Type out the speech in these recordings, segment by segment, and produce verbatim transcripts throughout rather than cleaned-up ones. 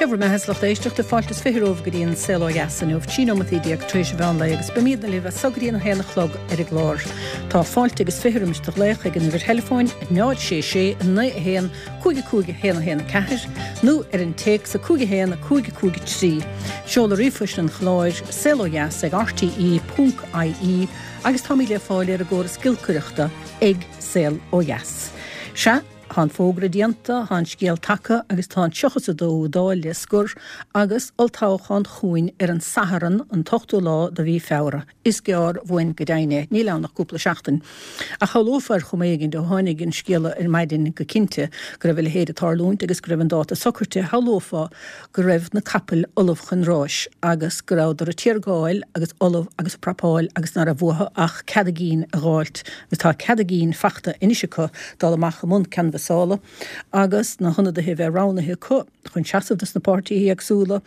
Cé bhur mbeatha, a lucht éisteachta, fáilte is fiche romhaibh go dtí an Saol Ó Dheas inniu, trí nóimeataí déag tar éis an mheán lae agus beimidne libh as so go dtí an haon a chlog ar an gclár. Tá fáilte agus fiche roimis do ghlaoch ag an uimhir theileafóin náid sé sé naoi a haon cúig a cúig a haon a haon a ceathair nó ar an téacs a cúig a haon a cúig a cúig a trí. Seoladh ríomhphoist an chláir, saol ó dheas ag R T E ponc I E, agus táimid le fáil ar an gcóras giolcaireachta ag Saol Ó Dheas. Sea, tá an fógra déanta, tá an scéal tagtha agus tá an tríocha is a dóú Dáil le scor agus olltoghchán chugainn ar an Satharn an t-ochtú lá de mhí Feabhra. Is gearr uainn go deimhin é, níl ann ach cúpla seachtain. Ach shamhlófá ar chuma éigin ó tháinig an scéala ar maidin go cinnte go raibh a leithéid ag tarlúint agus go raibh an dáta socraithe, shamhlófá go raibh na capaill ullamh chun ráis agus go rabhadar ag tiargáil agus ullamh agus ag prapáil agus ná raibh uathu ach cead a gcinn a dh'fháilt agus tá cead a gcinn fachta anois acu dul amach i mbun canbhasála agus na hionadaithe a bheith roghnaithe acu chun seasamh dos na páirtithe éagsúla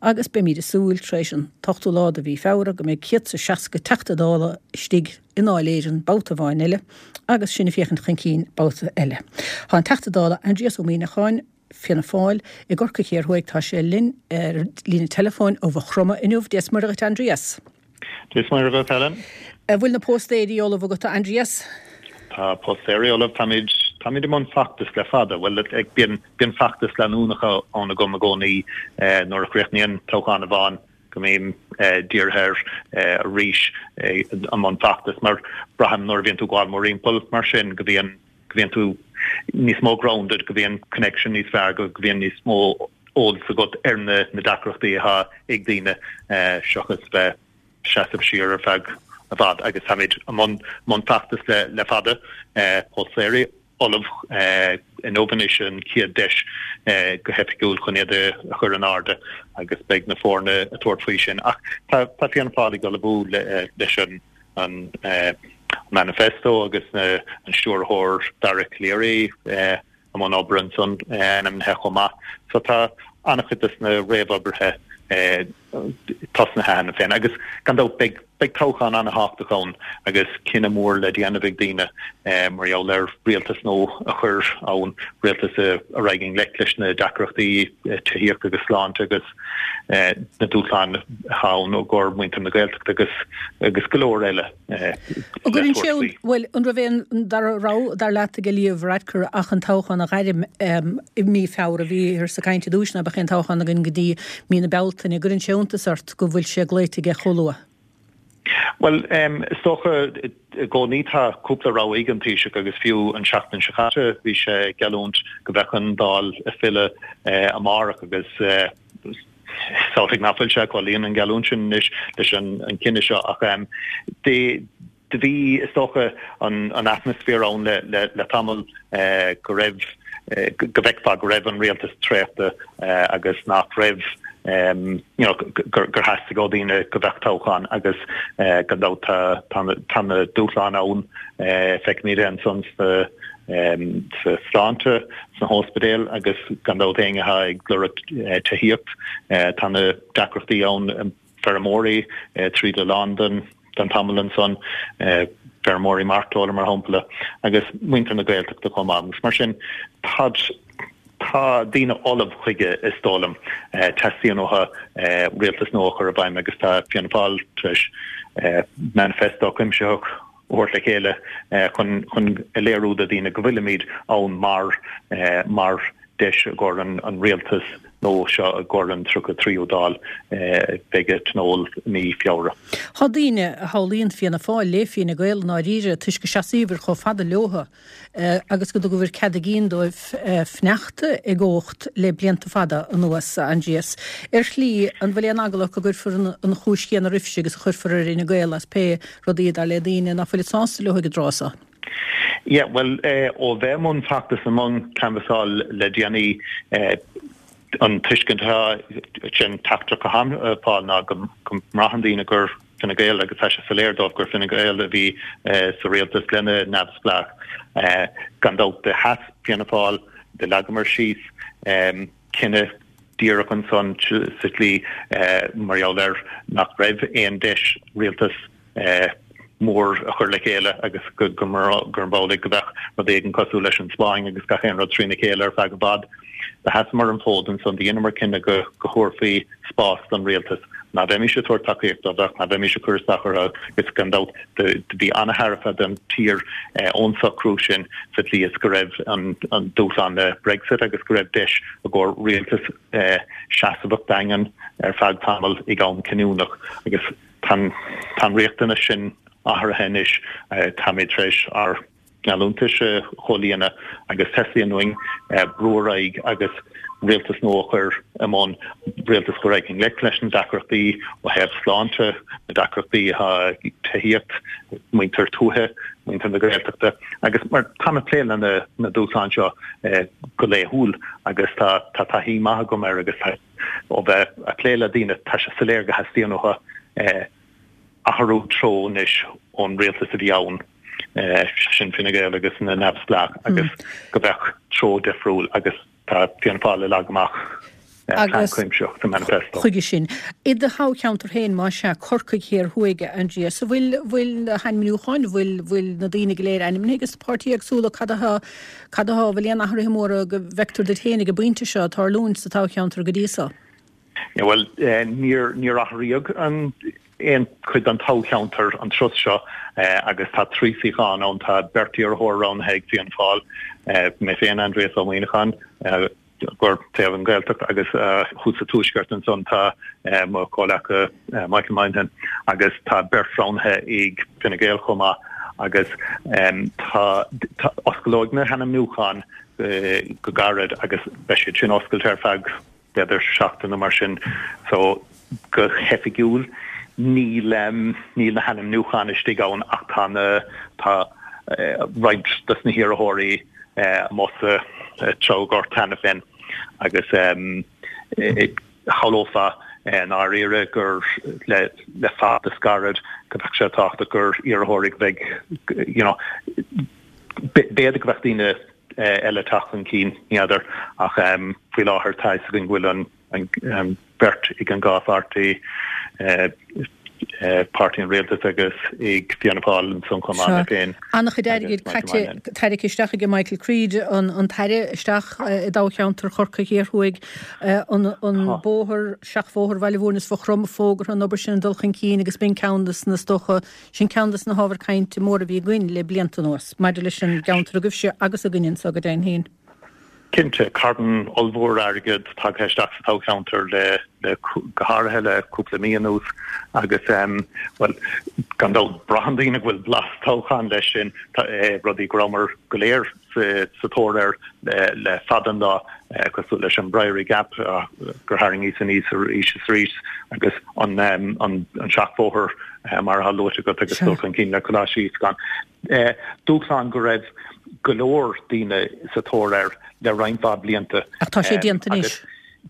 agus beimid ag súil tar éis an t-ochtú lá de mhí Feabhra go mbeidh céad is seasca Teachta Dála istigh i nDáil Éireann babhta amháin eile agus sinn ag féachaint chun cinn babhta eile. Tá an Teachta Dála Aindrias Ó Muimhneacháin, Fianna Fáil i gCorcaigh Thiar Thuaidh, tá sé linn ar líne teileafóin ó Mhaigh Chromtha inniu. Dia is Muire dhuit, Aindrias. Dia is Muire dhuit, Helen. An bhfuil na póstaeirí ullamh agat, a Aindrias? Tá póstaeirí ullamh, táimid táimid i mbun feachtas le fada, bhuel, bíonn bíonn feachtas leanúnach ann agam i gcónaí nuair a chríochnaíonn toghchán amháin go mbím dírithe air arís i mbun feachtas mar braithim nuair a bhíonn tú ag gabháil mórthimpeall mar sin go bhíonn go bhíonn tú níos mó grounded, go bhíonn connection níos fearr, go bhíonn níos mó eolas agat ar na na deacrachtaí atá ag daoine seachas bheith seasamh siar ar feadh i bhfad agus táimid i mbun mbun feachtas le le fada, póstaeirí ullamh inniu anois an chéad deis go hoifigiúil chun iad a chur in airde agus beidh na foirne ag tabhairt faoi sin ach tá tá Fianna Fáil ag ullmhú leis an an manifesto agus an stiúrthóir Dara Calleary i mbun obair ansan ainmnithe chomh maith. So tá an-chuid de na réamhoibrithe tosnaithe cheana féin agus gan dabht beidh beidh toghchán an-tábhachtach ann agus cinneadh mór le déanamh ag daoine mar gheall ar rialtas nua a chur ann, rialtas a raghaidh i ngleic leis na deacrachtaí tithíochta agus sláinte agus na dúshláin atá ann i gcomhair muintir na Gaeltachta agus agus go leor eile le tabhairt faoi. Bhuel, an raibh aon dara rogha dar leat ag Leo Varadkar ach an toghchán a ghairm i mí Feabhra? Bhíothas ag caint i dtús ná beadh aon toghchán againn go dtí mí na Bealtaine. Gcuireann sé iontas ort go bhfuil sé glaoite aige chomh luath? Bhuel, is dócha i gcónaí tá cúpla rogha ag an Taoiseach agus fiú an seachtain seo caite bhí sé ag geallúint go mbeadh an Dáil ag filleadh amárach agus is amhlaidh nach bhfuil sé ag comhlíonadh an gheallúint sin anois leis an cinneadh seo ach de do bhí, is dócha, an an atmaisféar ann le le le tamall go raibh go bhfeicfeá go raibh an rialtas traochta agus nach raibh you know gur gur theastaigh ó dhaoine go mbeadh toghchán agus gan dabht tá tá tá na dúshláin ann, feicimid é ansan sa sa sláinte, sna hospidéil agus gan dabht éinne atá ag lorg tithíocht, tá na deacrachtaí ann feirmeoirí tríd a lán den den tamall ansan, feirmeoirí mairteola mar shampla, agus muintir na Gaeltachta chomh maith. Agus mar sin tá tá daoine ullamh chuige, is dóigh liom. Teastaíonn uathu rialtas nua a chur i bhfeidhm agus tá Fianna Fáil tar éis manifesto cuimsitheach a thabhairt le chéile chun chun a léiriú do dhaoine go bhfuilimid ann mar mar deis i gcomhair an an rialtas nua seo i gcomhair an tríocha tríú Dáil a bheidh ag tionól i mí Feabhra. Tá daoine a shamhlaíonn Fianna Fáil le Fine Gael i ndáiríre toisc go seasaíobhair chomh fada leotha agus go dtugabhair cead a gcinn dóibh fanacht i gcumhacht le blianta fada anuas, a Aindrias. Ar shlí, an bhfuil aon eagla go gcuirfear an chúis chéanna oraibhse agus a chuirfear ar Fhine Gael as pé rudaí dar le daoine nach bhfuilid sásta leo ag an dtráth seo? Yeah, bhuel, ó bheith i mbun feachtas, i mbun canbhasáil le déanaí, an tuiscint atá sin teachtaireacht atá ag fáil ná go mbraitheann daoine gur Fine Gael agus tá sé soiléir dóibh gur Fine Gael a bhí sa rialtas lena neamhspleách. Gan dabht do sheas Fianna Fáil, do leagamar síos cinneadh díreach ansan sa tslí mar gheall ar nach raibh aon deis rialtas mór a chur le chéile agus go gurb amhlaidh go mbeadh rud éigin cosúil leis an Spáinn agus gach aon rud trína chéile ar feadh i bhfad. Do sheasamar an fód ansan, do dheineamar cinneadh go go thabharfaí spás don rialtas, ná bheimis ag tabhairt tacaíocht dóibh ach ná bheimis ag cur isteach orthu agus gan dabht do do bhí an-thairbhe don tír ón socrú sin sa tslí is go raibh an an dúshlán le Brexit agus go raibh deis i gcomhair rialtas seasamhach daingean ar feadh tamaill ag am cinniúnach agus tá tá an riachtanas sin athraithe anois. Táimid tar éis ár ngeallúntais a chomhlíonadh agus teastaíonn uainn brú ar aghaidh agus rialtas nua a chur i mbun, rialtas a raghaidh i ngleic leis na deacrachtaí ó thaobh sláinte, na deacrachtaí atá ag tithíocht, muintir tuaithe, muintir na Gaeltachta agus mar táim ag plé le na dúshláin seo go laethúil agus tá tá taithí maith agam air agus tá ó bheith ag plé le daoine tá sé soiléir go theastaíonn uathu athrú treo anois ón rialtas a bhí ann, sin Fine Gael agus na Neamhspleách agus go mbeadh treo difriúil agus tá Fianna Fáil ag leagan amach plean cuimsitheach sa manifesto. Chuige sin, i do thoghcheantar féin, más ea, Corcaigh Thiar Thuaidh, a Aindrias, an bhfuil, bhfuil na hainmniúcháin, bhfuil, bhfuil na daoine go léir ainmnithe aige na páirtithe éagsúla, cad atá, cad atá, bhfuil aon athruithe móra go bhfeictear duit féin ag an bpointe seo ag tarlúint sa toghcheantar go dtí so? Bhuel, níor, níor athraíodh an, aon chuid den toghcheantar an turas seo agus tá trí suíochán ann, tá beirt iarrthóir roghnaithe ag Fianna Fáil, mé féin, Aindrias Ó Muíneacháin, gur taobh an Ghaeltacht agus thuas sa Tuaisceart ansan tá mo chomhleaca Michael Moynihan agus tá beirt roghnaithe ag Fine Gael chomh maith agus tá osclóidh na hainmniúcháin go gairid agus beidh siad sin oscailte ar feadh b'fhéidir seachtain nó mar sin. So go hoifigiúil níl níl na hainmniúcháin istigh ann ach tá na tá roinnt dos na hiarrthóirí amuigh sa toghghort cheana féin agus shamhlófá i ndáiríre gur le le feachtas gairid go mbeadh sé tábhachtach gur iarrthóirí go mbeidh you know b'fhéidir go mbeadh daoine eile ag teacht chun cinn, ní fheadar, ach faoi láthair tá fhios againn go bhfuil an bheirt ag an dhá pháirtí, Páirtí an Rialtais agus ag Fianna Fáil ansan chomh maith, mé féin. An-chuid airgid caite, tarraingthe isteach ag Michael Creed, an tAire, isteach i dtoghcheantar Chorcaí Thiar Thuaidh, an bóthar, seachbhóthar Bhaile Mhúirne is Mhaigh Chromtha fógartha, an obair sin ag dul chun cinn agus b'in ceann de na, is dócha, Sin ceann de na hábhair cainte móra a bhí againn le blianta anuas maidir leis an gceantar agaibhse agus againne anso go deimhin féin. Cinnte, carn ollmhór airgid tagtha isteach sa toghcheantar le, le, go háirithe le cúpla mí anuas agus, bhuel, gan dabht, braitheann daoine go bhfuil blas toghcháin leis sin, rudaí go rabhamar go léir sa tóir air le fada an lá, cosúil leis an Briery Gap gur tharraingíos aníos arís is arís agus an seachbhóthar mar atá luaite agat agus dul chun cinn le Coláiste Íosagáin. Dúshlán go raibh go leor daoine sa tóir air le roinnt mhaith blianta. Ach tá sé déanta anois.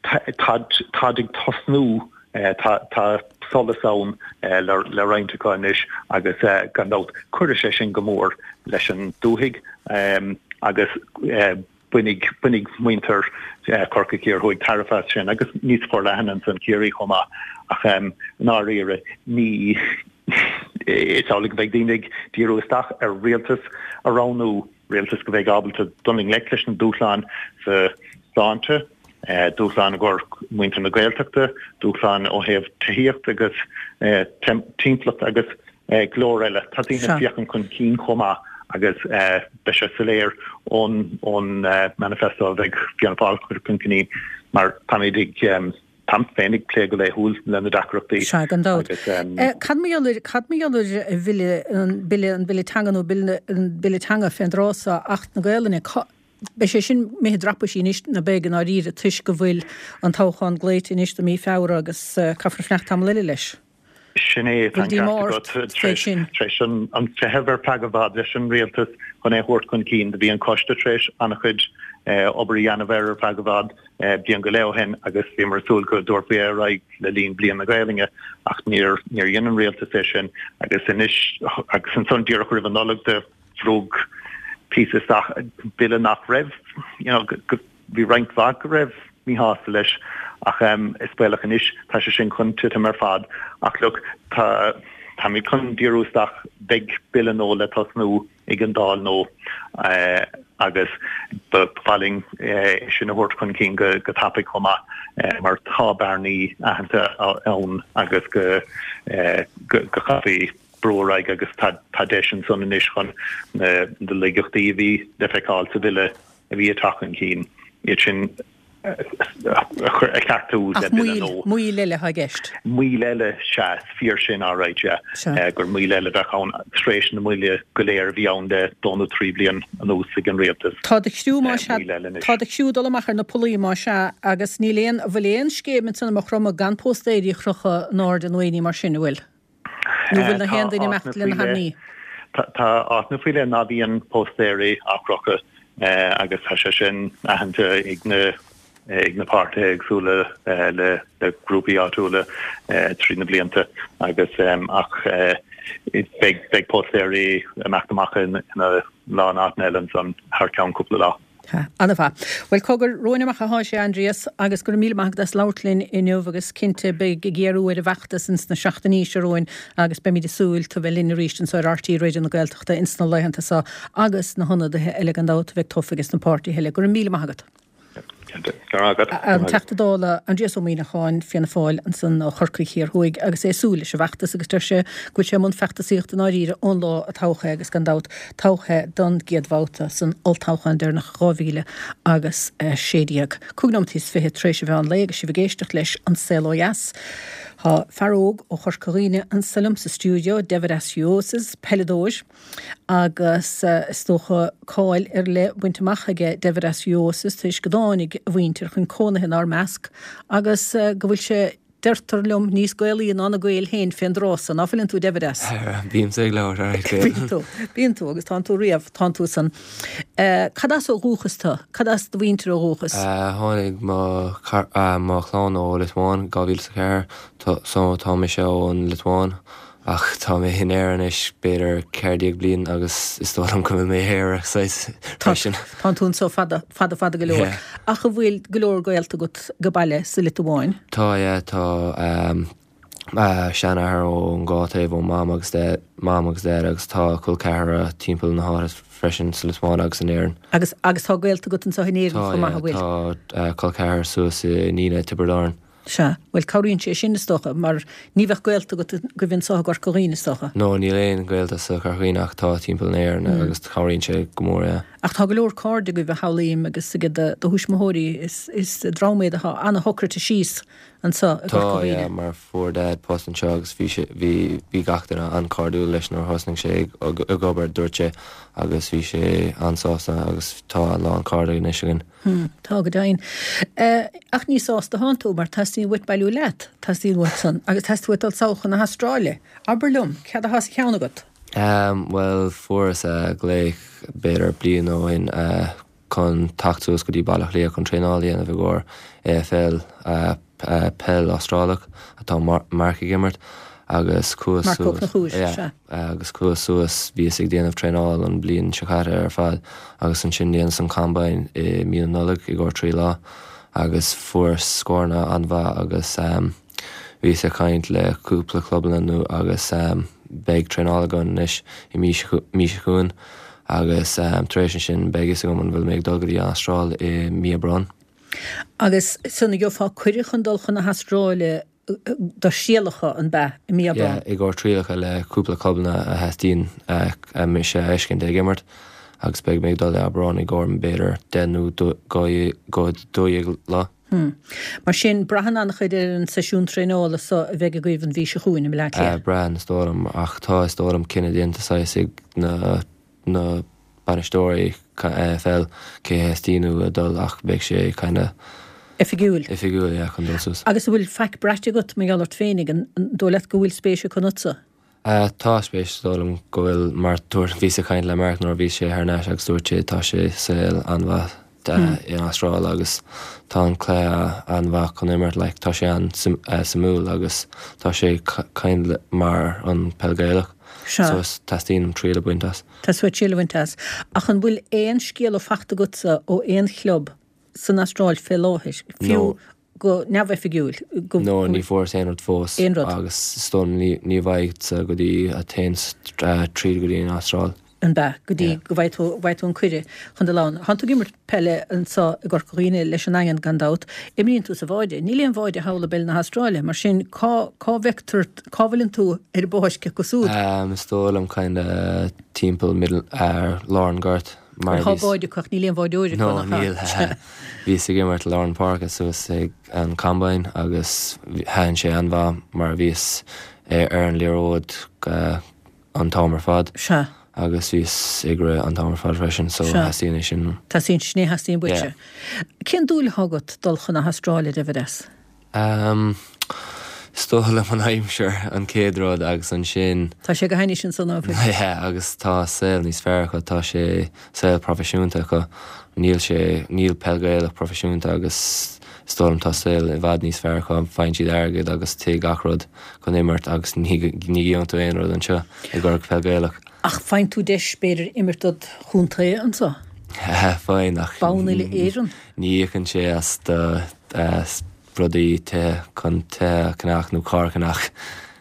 Táid ag tosnú Tá solas ann le roinnt acu anois agus gan dabht cuirfidh sé sin go mór leis an dúthaigh agus bainfidh muintir Chorcaí Thiar Thuaidh tairbhe as sin agus níos forleithne ansan Ciarraí chomh maith ach i ndáiríre ní is amhlaidh go mbeidh daoine ag díriú isteach ar rialtas a roghnú, rialtas go mbeidh ábalta dul i ngleic leis na dúshláin sa sláinte. dúshláin i gcomhair muintir na Gaeltachta, dúshláin ó thaobh tithíocht agus timpeallacht agus go leor eile. Tá daoine ag féachaint chun cinn chomh maith agus beidh sé soiléir ón ón manifesto a bheidh Fianna Fáil ag cur chun cinn mar táimid ag táim féin ag plé go laethúil le na deacrachtaí. Sea, gan dabht. Cad mar gheall ar cad mar gheall ar bhille an bille an bille teanga nó bille an bille teanga fén dtráth so Acht na Gaelainne? Beidh sé sin imithe i dtraipisí anois, nó beidh i ndáiríre, toisc go bhfuil an toghchán glaoite anois do mí Feabhra agus caithfear fanacht tamall eile leis. Sin é, tá an ceart agat. Tar éis an feitheamh ar feadh i bhfad leis an rialtas chun é a thabhairt chun cinn, do bhí an coiste tar éis an-chuid obair a dhéanamh air ar feadh i bhfad, bliain go leith ó shin, agus bhíomar ag súil go dtabharfaí é ar aghaidh le linn Bliain na Gaelainne ach níor dhein an rialtas é sin agus anois, agus ansan díreach roimh an Nollaig, do. Bhrúdh píosa isteach, bille nach raibh, you know, bhí roinnt mhaith go raibh míshásta leis ach is baolach anois tá sé sin chun titim ar fad. Ach look, tá, táimid chun díriú isteach, beidh bille nua le tosnú ag an Dáil nó agus ba mhaith linn é sin a thabhairt chun cinn go go tapaidh chomh maith mar tá bearnaí aitheanta ann agus go go gcaithfí brú ar aghaidh agus tá tá deis ansan anois chun na na laigeachtaí a bhí le feiceáil sa bhille a bhí ag teacht chun cinn, iad sin a cheartú le bille nua. Ach moill eile atá i gceist. Moill eile, sea, is fíor sin alright, yeah. Gur moill eile a bheadh ann tar éis na moille go léir a bhí ann le dó nó trí bliain anuas ag an rialtas. Tá do chriú má sea, tá do chriú ag dul amach ar na pollaí má sea agus níl aon, an bhfuil aon scéim ansan i Maigh Chromtha gan póstaeirí a chrochadh in airde nó aon ní mar sin, an bhfuil? Nó bhfuil na haon duine imeacht lena hainmní? Tá áiteanna faoi leith ná bíonn póstaeirí á gcrochadh agus tá sé sin aitheanta ag na ag na páirtithe éagsúla le le grúpaí áitiúla trí na blianta agus ach beidh beidh póstaeirí imeacht amach ina lán áiteanna eile ansan thar ceann cúpla lá. Ana-mhaith. Bhuel, cogar, romhainn amach atá sé, Aindrias, agus go raibh míle maith agat as labhairt linn inniu agus cinnte beidh ag géarú ar an bhfeachtas ins na seachtainí seo romhainn agus beimid ag súil tú bheith linn arís anseo ar RTÉ Raidió na Gaeltachta ins na laethanta seo agus na hionadaithe eile gan dabht a bheidh tofa ages na páirtithe eile. Go raibh míle maith agat. An Teachta Dála Aindrias Ó Muimhneacháin, Fianna Fáil, ansan ó Chorcaigh Thiar Thuaidh agus é ag súil leis an bhfeachtas agus deir sé go bhfuil sé i mbun feachtasaíochta i ndáiríre ón lá a toghadh é agus gan dabht toghadh é don gcéad bhabhta san olltoghchán deireanach dhá mhíle agus a sé déag. Cúig nóimeataí is fiche tar éis an mheán lae agus sibh ag éisteacht leis An Saol Ó Dheas. Tá fear óg ó Chorca Dhuibhne anso liom sa stiúideo, Deividas Uosis, peileadóir. Agus is dócha cáil ar leith bainte amach aige Deividas Uosis tar éis go dtáinig a mhuintir chun cónaithe inár measc agus go bhfuil sé, deirtear liom, níos Gaelaí ná na Gaeil féin fén dtráth so. Ná fuileann tú, Deividas? Bímse ag labhairt ar Gaeilge. Bíonn tú, bíonn tú agus tánn tú riamh, tánn tú san. Cad as ó dhúchas tú? Cad as do mhuintir ó dhúchas? Tháinig mo mo chlann ó Liotuáin dhá mhíle is a ceathair so tá mise ón Liotuáin. Ach tá mé in Éirinn anois b'fhéidir ceathair déag bliain agus is dóigh liom go bhfuil mé Éireannach saghas freisin. Tánn tú anso fada, fada, fada go leor. Ach an bhfuil go leor gaolta agat go baile sa Liotuáin? Tá, yeah, tá seanathair ón dhá taobh, ó Mam agus Mam agus Dad agus tá col ceathracha timpeall na háite freisin sa Liotuáin agus in Éirinn. Agus, agus tá gaolta agat anso in Éirinn chomh maith, an bhfuil? Tá, yeah, tá col ceathar suas i Nenagh, Tiobraid Árann. Sea. Bhuel, cabhraíonn sé sin, is dócha, mar ní bheadh gaolta agat agaibh anso i gCorca Dhuibhne, is dócha. No, níl aon ghaolta sa Chorca Dhuibhne ach tá timpeall na hÉireann agus cabhraíonn sé go mór, yeah. Ach tá go leor cairde agaibh, a shamhlaím, agus ag do thuismitheoirí, is is dream iad atá ana-shocraithe síos anso i gCorca Tá, Dhuibhne. yeah, mar fuair Dad post anseo agus bhí sé, bhí, bhí gach duine an-chairdiúil leis nuair a thosnaigh sé ag, ag obair, dúirt sé, agus bhí sé an-sásta agus tá a lán cairde anois againn. Hm, tá go deimhin. Ach ní sásta atánn tú, mar teastaíonn uait bailiú leat, teastaíonn uait san, agus teastaíonn uait dul sall chun na hAstráile. Abair liom, céard atá sa cheann agat? Ehm, bhuel, fuaireas glaoch b'fhéidir bliain ó shin chun teacht suas go dtí Baile Átha Cliath chun traenáil a dhéanamh i gcomhair AFL, peil Astrálach atá Mark ag imirt agus chuas Marc Ó suas, Conchúir, yeah, sea. agus chuas suas, bhíos ag déanamh traenáil an bhliain seo caite ar fad agus ansin dhéanas an combine i mí na Nollag i gcomhair trí lá agus fuaireas scóranna an-mhaith agus bhíos ag caint le cúpla clubanna nua agus beidh traenáil againn anois i mí seo chugainn agus tar éis ansin beidh fhios agam an bhfuil mé ag dul go dtí an Astráil i mí Aibreán. Agus san gheofá cuireadh chun dul chun na hAstráile do thrialacha, an b'ea, i mí Aibreán? Yeah, i gcomhair trialacha le cúpla clubanna a theastaíonn mise a fheiscint ag imirt agus beidh mé ag dul i Aibreán i gcomhair b'fhéidir deich nó dó dhéag lá. Hmm. Mar sin, braitheann an-chuid ar an seisiún traenála so a bheidh agaibh an mhí seo chugainn i mBleá Cliath. Braitheann, is dóigh liom, ach tá, is dóigh liom, cinneadh déanta saghas ag na na bainisteoirí AFL cé a theastaíonn uathu a dul ach beidh sé kinda Oifigiúil. Oifigiúil, yeah, chun dul suas. Agus an bhfuil faic braite agat mar gheall ort féinig, an dóigh leat go bhfuil spéis acu ionatsa? Tá spéis, is dóigh liom go bhfuil mar dúirt, bhíos ag caint le Mark nuair a bhí sé thar n-ais agus dúirt sé tá sé saol an-mhaith in Astráil agus tá an cluiche an-mhaith chun imirt, like tá sé an-suimiúil agus tá sé kind mar an peil Gaelach so is teastaíonn triail a bhaint as. Teastaíonn uait triail a bhaint as. Ach an bhfuil aon scéala fachta agatsa ó aon chlub san Astráil fé láthair, fiú go neamhoifigiúil, go. No, ní fuaireas aon rud fós. Aon rud. Agus is dóigh liom ní bhfaighidh go dtí a théann tríd go dtí an Astráil. An bea, go dtí go bhfaighidh tú, bhfaighidh tú an cuireadh chun dul ann. Tánn tú ag imirt peile anseo i gCorca Dhuibhne leis an nDaingean gan dabht. Imríonn tú sa bháide. Níl aon bháide thall i bpeil na hAstráile, mar sin cá, cá bhfeictear, cá bhfuileann tú ar an bpáirc acu súd? Is dóigh liom kinda timpeall middle, lár an ghoirt mar a bhíos. Tá báide acu ach níl aon bháideoir acu, nach ea? No, níl. Bhíos ag imirt lár an páirce suas ag an combine agus thaitin sé an-mhaith mar bhíos ar an liathróid an t-am ar fad. Sea. Agus bhíos ag rith an t-am ar fad freisin, so theastaíonn é sin. Teastaíonn, sin é a theastaíonn uaitse. Yeah. Cén dúil atá agat dul chun na hAstráile, a David? Um, is dóigh liom an aimsir an chéad rud agus ansin. Tá sé go hainnis ansan ná fuil? Yeah, agus tá saol níos fearr acu, tá sé saol proifisiúnta acu. Níl sé, níl peil Gaelach proifisiúnta agus Is dóigh liom tá saol i bhfad níos fearr acu, faigheann siad airgead agus tigh gach rud chun imirt agus ní gheobhann tú aon rud anseo i gcomhair peil Gaelach. Ach faigheann tú deis b'fhéidir imirt dod chontae anseo? Faigheann ach Bonn uile Éireann? ní íocann sé as do rudaí tithe chun tithe a cheannach nó carr a cheannach.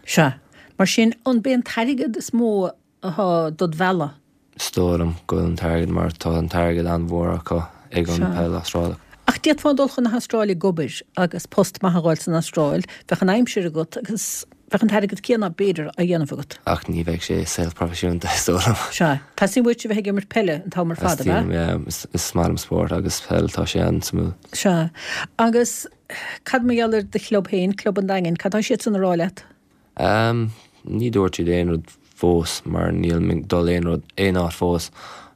Sea. Mar sin, an b'é an t-airgead is mó atá dod mhealladh? Is dóigh liom go bhfuil an t-airgead mar tá an t-airgead an-mhór acu ag an peil Astrálach. Ach d'fhéadfá dul chun na hAstráile ag obair agus post maith a dh'fháil san Astráil, bheadh an aimsir agat agus bheadh an t-airgead céanna, b'fhéidir, á dhéanamh agat. Ach ní bheadh sé saol proifisiúnta, is dóigh liom. Sea. Teastaíonn uait a bheith ag imirt peile an t-am ar fad, ab ea? Teastaíonn, yeah. Is maith liom spórt agus peil, tá sé an-suimiúil. Sea. Agus cad mar gheall ar do chlub féin, Club an Daingin, cad tá siadsan a rá leat? Um, ní dúirt siad aon rud fós mar níl mé ag dul aon rud, aon áit fós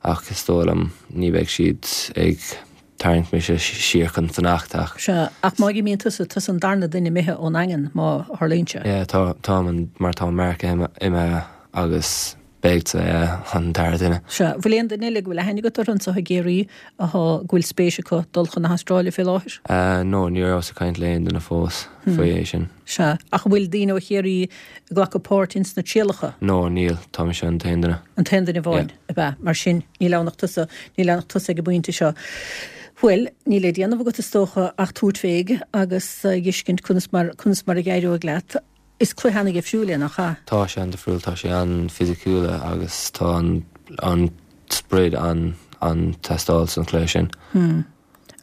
ach is dóigh liom ní bheidh siad ag tarraingt mise siar chun fanacht ach. Sea, ach má imíonn tusa, tusa an darna duine imithe ón nDaingean má tharlaíonn sé. Yeah, tá, táim an, mar tá Mark imithe agus beidh sé an dara duine. Sea, bhfuil aon duine eile go bhfuil aithne agat orthu anseo i gCiarraí athá, go bhfuil spéis acu dul chun na hAstráile fé láthair? No, ní rabhas ag caint le aon duine fós faoi é sin. Sea, ach an bhfuil daoine ó Chiarraí ag glacadh páirt ins na trialacha? No, níl, tá mise an t-aon duine. An t-aon duine amháin, Yeah. ab ea? Mar sin, níl ann ach tusa, níl ann ach tusa ag an bpointe seo. Bhuel, níl le déanamh agat is dócha ach tabhairt féig agus a dh'fheiscint conas mar, conas mar a dh'éireoidh leat. Is cluiche ana-dhifriúil é, nach ea? Tá sé an-difriúil, tá sé an-fhisiciúil agus tá an an sprid an an-teastáil san chluiche sin. Hmm.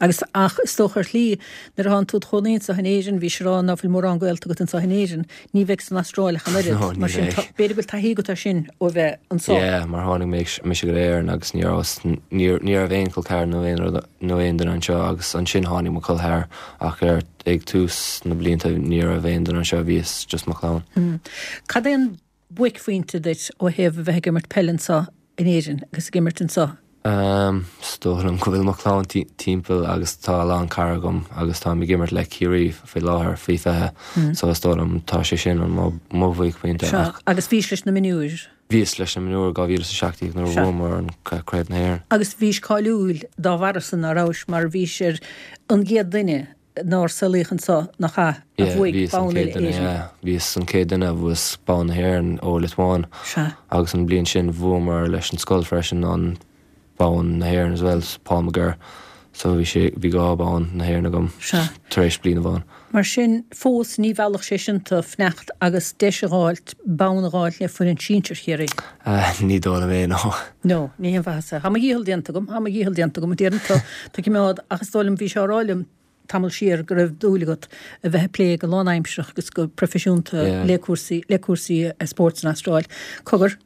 Agus, ach is dócha ar shlí, nuair atánn tú id chónaí anseo in Éirinn, bhís ag rá ná fuil mórán gaolta agat anseo in Éirinn, ní bheidh san Astráil ach an oiread. No, ní Mar sin, bheidh. tá, b'fhéidir go bhfuil taithí agat air sin ó bheith anseo. Yeah, mar tháinig mé, mise go Éirinn agus ní raibh, ní, ní raibh aon chol ceathrar nó aon rud, nó aon duine anseo agus ansin tháinig mo chol ceathrar ach ar Ag tús na blianta ní raibh aon duine anseo, bhíos just mo chlann. Cad é an buaicphointe duit ó thaobh a bheith ag imirt peile anseo in Éirinn agus ag imirt anseo? Ehm, is dóigh liom go bhfuil mo chlann timpeall agus tá a lán cara agam agus táim ag imirt le Ciarraí faoi láthair, faoi fiche, so is dóigh liom tá sé sin an mo bhuaicphointe Sea, ach. agus bhís leis na mionúir? Bhíos leis na mionúir dhá mhíle is a seacht déag nuair a Sea. bhuamar an Craobh na hÉireann. Agus bhís cáiliúil dá bharra san, ná rabhais, mar bhís ar an gcéad duine nár saolaíodh anseo, nach ea, a Yeah, bhuaigh bhíos an bonn chéad duine, uile-Éireann. yeah, bhíos an chéad duine a bhuas bonn na hÉireann ó Liotuáin. Sea. Agus an bliain sin bhuamar leis an scoil freisin an bonn na hÉireann as well, Paul McGirr. So bhí sé, bhí dhá bonn na hÉireann agam Sea. tar éis bliain amháin. Mar sin, fós ní mheallfadh sé sin tú fanacht agus deis a dh'fháilt, bonn a dh'fháilt le foireann sinsir Chiarraí. Ní dóigh liom é, no. No, ní haon mhaitheas é. Tá mo dhícheall déanta agam, tá mo dhícheall déanta agam, a deireann tú, tú ag coimeád, ach is dóigh liom, bhís á rá liom, tamall siar go raibh dúil agat a bheith ag plé go lánaimsearach agus go proifisiúnta le cúrsaí le cúrsaí spóirt san Astráil. Cogar,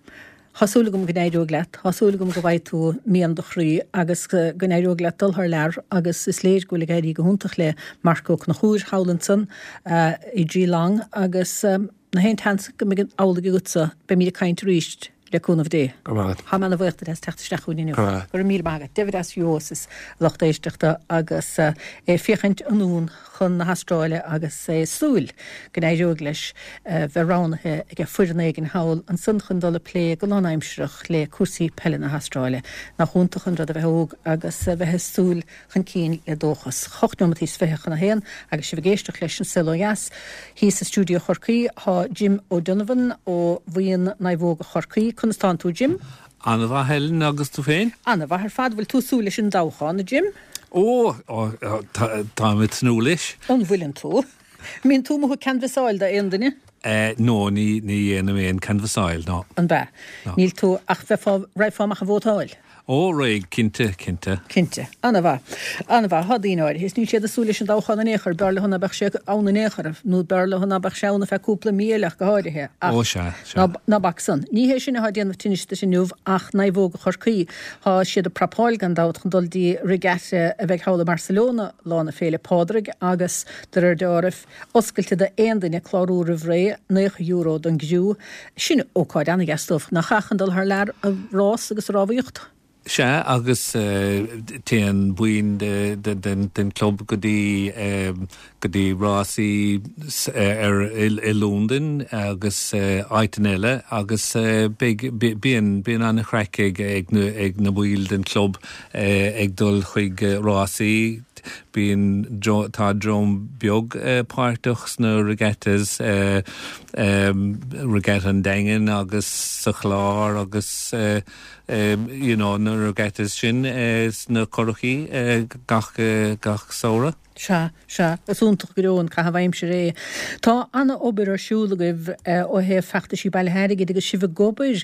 tá súil agam go n-éireoidh leat, tá súil agam go bhfaighidh tú mian do chroí agus go n-éireoidh leat dul thar lear agus is léir go bhfuil ag éirí go hiontach le Marc Ó Conchúir thall ansan i Geelong agus nach aon tseans go mbeidh amhlaidh agatsa, beimid ag caint arís. Le cúnamh Dé. Go raibh maith agat. Tá mé ana bhuíoch duit as teacht isteach chugainn inniu. Go raibh maith agat. Go raibh míle maith agat. David Asiosis, lucht éisteachta, agus é ag féachaint anonn chun na hAstráile agus é ag súil go n-éireoidh leis bheith roghnaithe ag foireann éigin thall ansan chun dul ag plé go lánaimsearach le cúrsaí peile na hAstráile. Nach iontach an rud a bheith óg agus a bheith ag súil chun cinn le dóchas. Hocht nóimeataí is fiche chun a haon agus sibh ag éisteacht leis An Saol Ó Dheas. Thíos i stiúideo Chorcaí tá Jim O'Donovan ó Bhuíon Naomhóga Chorcaí. Conas tánn tú, Jim? An-mhaith, Helen, agus tú féin? An-mhaith ar fad. Bhfuil tú ag súil leis an dtoghchán, a Jim? Ó, táim ag tnúth leis. An bhfuileann tú? Mbíonn tú amuigh ag canbhasáil d'aon duine? No, ní ní dhéanaim aon canbhasáil, no. An b'ea? Níl tú ach bheifeá raghfá amach a vótáil? Ó, raghainn, cinnte, cinnte. Cinnte. Ana-mhaith. Ana-mhaith. Tá daoine áirithe, is níl siad ag súil leis an dtoghchán in aon chor, b'fhearr leo ná beadh sé ann in aon chor, nó b'fhearr leo ná beadh sé ann ar feadh cúpla mí eile ach go háirithe. Ach Ó, sea, sea. ná, ná bac san. Ní hé sin atá ag déanamh tinnis duit inniu ach Naomhóga Chorcaí. Tá siad ag prapáil gan dabht chun dul dtí regatta a bheidh thall i mBarcelona lá na Féile Pádraig agus de réir dealraimh, oscailte d'aon duine clárú roimh ré, naocha euro don gcriú. Sin ócáid an-dheas dóibh, nach ea, chun dul thar lear a rás agus a rámhaíocht? Sea, agus téann baill den chlub go dtí go dtí rásaí ar i Londain agus áiteanna eile agus beidh bíonn bíonn an-chraic ag ag na ag na baill den chlub ag dul chuig rásaí. Bíonn tá dream beag páirteach sna regattas, regatta an Daingin agus sa Chlár agus you know na regattas sin sna curachaí gach gach samhradh. Sea, sea, is iontach go deo an caitheamh aimsire é. Tá an-obair ar siúl agaibh ó thaobh feachtaisí bailithe airgid agus sibh ag obair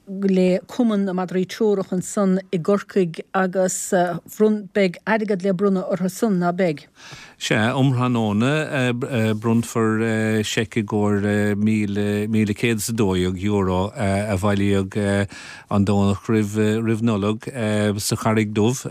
le Cumann na Madraí Treorach ansan i gCorcaigh agus bhronn, beidh airgead le bronnadh orthu san, ná beidh? Sea, um thráthnóna bronnfar seic i gcomhair míle, míle céad is a dó dhéag euro a bhailíodh an Domhnach roimh, roimh Nollaig sa Charraig Dubh.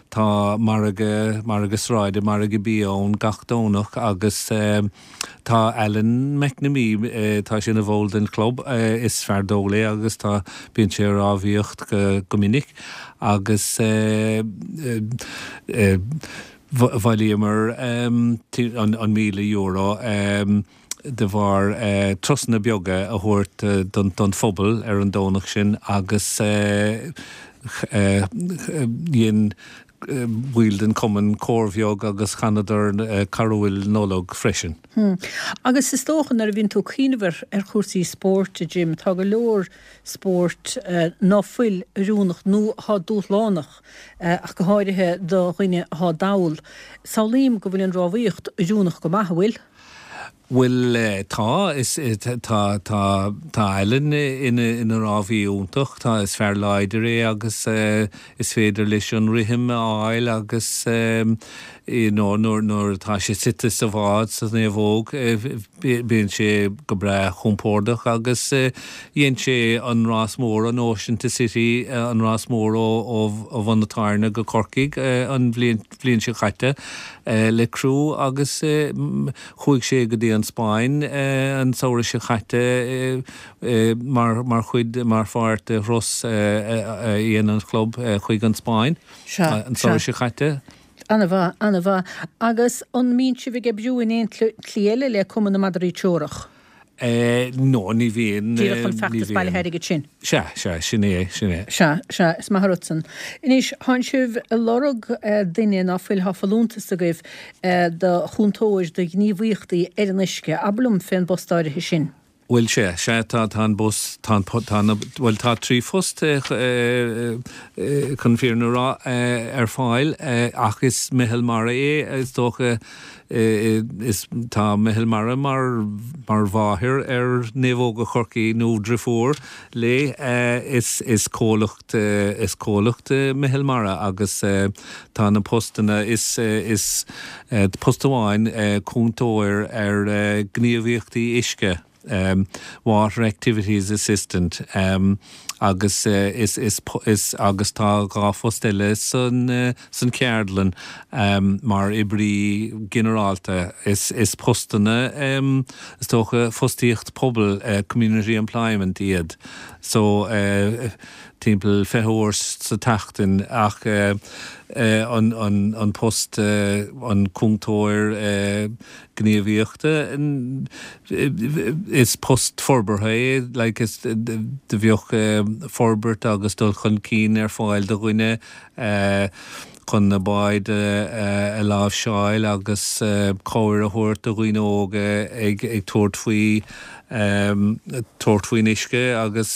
Tá margadh, margadh sráide, margadh bia ann gach Domhnach agus tá Alan McNamee, tá sé ina bhall den chlub, is fear dall é agus tá, bíonn sé ag rámhaíocht go minic agus bhailíomar an míle euro de bharr turasanna beaga a thabhairt don phobal ar an Domhnach sin agus dhein baill den chumann cór bheag agus chanadar carúil Nollag freisin. Agus is dócha nuair a bhíonn tú ag cuimhneamh ar chúrsaí spóirt, a Jim, tá go leor spóirt ná fuil oiriúnach nó atá dúshlánach, ach go háirithe do dhuine atá dall. Samhlaím go bhfuil an rámhaíocht oiriúnach go maith, an bhfuil? Bhuel, tá, is, tá, tá, tá Alan ina, ina rámhaí iontach, tá, is fear láidir é agus is féidir leis an rithim a fháil agus you know nuair, nuair atá sé suite sa bhád sa naomhóg bíonn sé go breá compordach agus dhein sé an rás mór, an Ocean to City, an rás mór ó, ó, ó Bhun na Tairne go Corcaigh an bhliain, bhliain seo caite le criú agus chuaigh sé go dtí an Spáinn an samhradh seo caite mar mar chuid mar pháirt de thuras a dhein an chlub chuig an Spáinn an samhradh seo caite. Ana-mhaith, ana-mhaith. Agus an mbíonn sibh ag oibriú in aon tslí eile le Cumann na Madraí Treorach? No, ní bhíonn. Díreach an feachtas bailithe airgid sin. Sea, sea, sin é, sin é. Sea, sea, is maith an rud san. Anois, thánn sibh ag lorg duine ná fuil, thá folúntas agaibh do chúntóir do ghníomhaíochtaí ar an uisce. Abair liom fén bpost áirithe sin. Bhuel, sea, sea, tá, tá an bus, tá an, tá na, bhuel, tá trí phost, chun fírinne a rá, ar fáil ach is meitheal mara é, is dócha, is, tá meitheal mara mar, mar mháthair ar Naomhóga Chorcaí nó driofúr léi, is, is comhlacht, is comhlacht meitheal mara agus tá na postanna, is, is post amháin cúntóir ar ghníomhaíochtaí uisce. Water Activities Assistant agus is is is agus tá dhá phost eile san san cheardlann mar oibrí ginearálta. Is is postanna is dócha fostaíocht pobail community employment iad so timpeall fiche uair sa tseachtain ach an an an post an cúntóir gníomhaíochta is post forbartha é like is do bheadh forbairt agus dul chun cinn ar fáil do dhuine chun na báid a láimhseáil agus cabhair a thabhairt do dhaoine óga ag ag tabhairt faoi tabhairt faoin uisce agus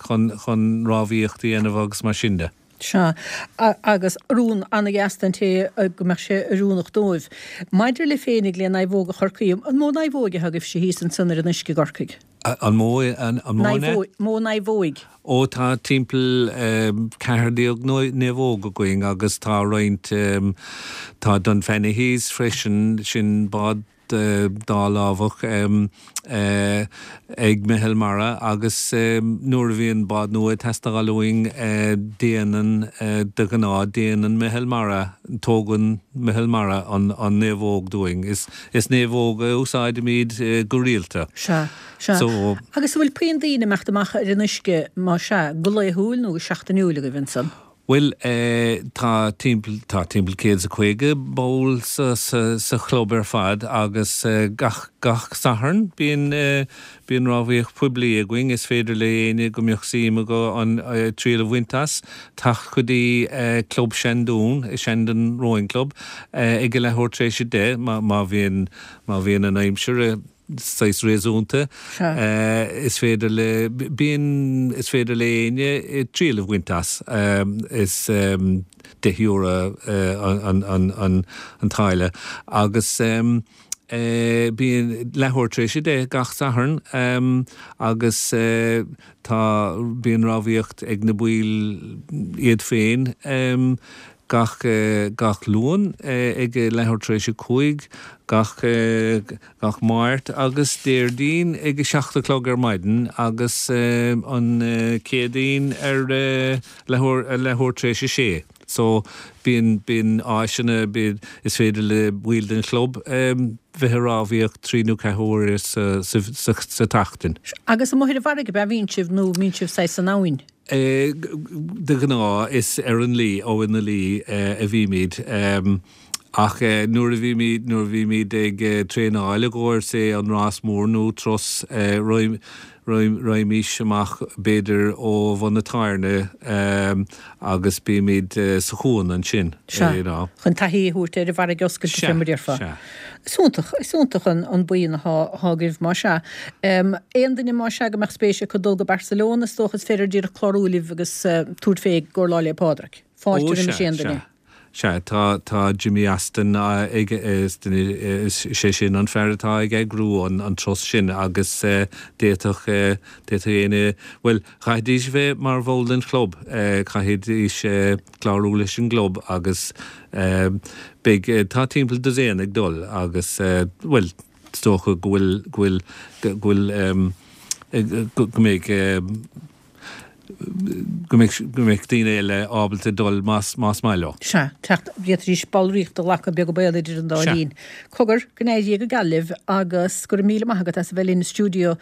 chun chun rámhaíocht a dhéanamh agus mar sin de. Sea, agus rún an-dheas don té go mbeadh sé oiriúnach dóibh. Maidir libh féinig le Naomhóga Chorcaí, an mó naomhóig atá agaibhse thíos ansan ar an uisce i gCorcaigh? An mó, an mó ne? Mó naomhóig. Ó tá timpeall ceathair déag naomhóg againn agus tá roinnt, tá Dunfanaghy's freisin, sin bád dálámhach ag Meitheal Mara agus nuair a bhíonn bád nua ag teastáil uainn déanann, de ghnáth, déanann Meitheal Mara, tógann Meitheal Mara an naomhóg dúinn. Is naomhóg a úsáidimid go rialta. Sea, sea. Agus an bhfuil puinn daoine ag imeacht amach ar an uisce, más ea, go laethúil nó go seachtainiúil agaibh ansan? Bhuel, tá timpeall, tá timpeall céad is a caoga ball sa, sa, sa chlub ar fad agus gach, gach Satharn bíonn, bíonn rámhaíocht poiblí againn. Is féidir le éinne go mbeadh suim acu an, triail a bhaint as, teacht go dtí Club Seandún, Shandon Rowing Club, ag a leathuair tar éis a deich má, má bhíonn, má bhíonn an aimsir saghas réasúnta. Is féidir le, bíonn, is féidir le éinne triail a bhaint as. Is deich euro an, an, an, an táille agus bíonn leathuair tar éis a deich gach Satharn agus tá, bíonn rámhaíocht ag na baill iad féin gach, gach Luan ag leathuair tar éis a cúig, gach, gach Máirt agus Déardaoin ag a seacht a chlog ar maidin agus an Chéadaoin ar leathuair, leathuair tar éis a sé. So bíonn, bíonn áiseanna, bíonn, is féidir le baill den chlub bheith ag rámhaíocht trí nó ceathair huaire sa, sa, sa, sa tseachtain. Agus amuigh ar an bhfarraige ab ea a bhíonn sibh nó mbíonn sibh saghas san abhainn? De ghnáth is ar an Laoi, Abhainn na Laoi, a bhímid. Ach nuair a bhímid, nuair a bhímid ag traenáil i gcomhair, say, an rás mór nó turas, raghaimís amach b'fhéidir ó Bhun na Tairne agus bímid sa chuan ansin. Sea, chun taithí a thabhairt ar an bhfarraige oscailte, fé mar a déarfá. Sea, sea. Is iontach, is iontach an buíon atá agaibh, más ea. Aon duine, más ea, go mbeadh spéis acu dul go Barcelona, is dócha is féidir díreach clárú libh agus tabhairt fé i gcomhair lá 'le Pádraig. Ó, Fáilte roimis sea, aon duine. sea. Sea, tá, tá Jimmy Aston ag, is duine, is sé sin an fear atá ag eagrú an, an turas sin agus d'fhéadfadh, d'fhéadfadh éinne, bhuel, chaithfidís bheith mar bhall den chlub, chaithfidís clárú leis an gclub agus beidh, tá timpeall dosaen ag dul agus, bhuel, is dócha go bhfuil, go bhfuil, go bhfuil, go mbeidh, go mbeidh, go mbeidh daoine eile ábalta dul más, más maith leo. Sea, teacht, d'fhéadfaidís ballraíocht a ghlacadh beag an baol idir an dá Sea. linn. Cogar, go n-éirí go geal libh agus go raibh míle maith agat as a bheith linn i stiúideo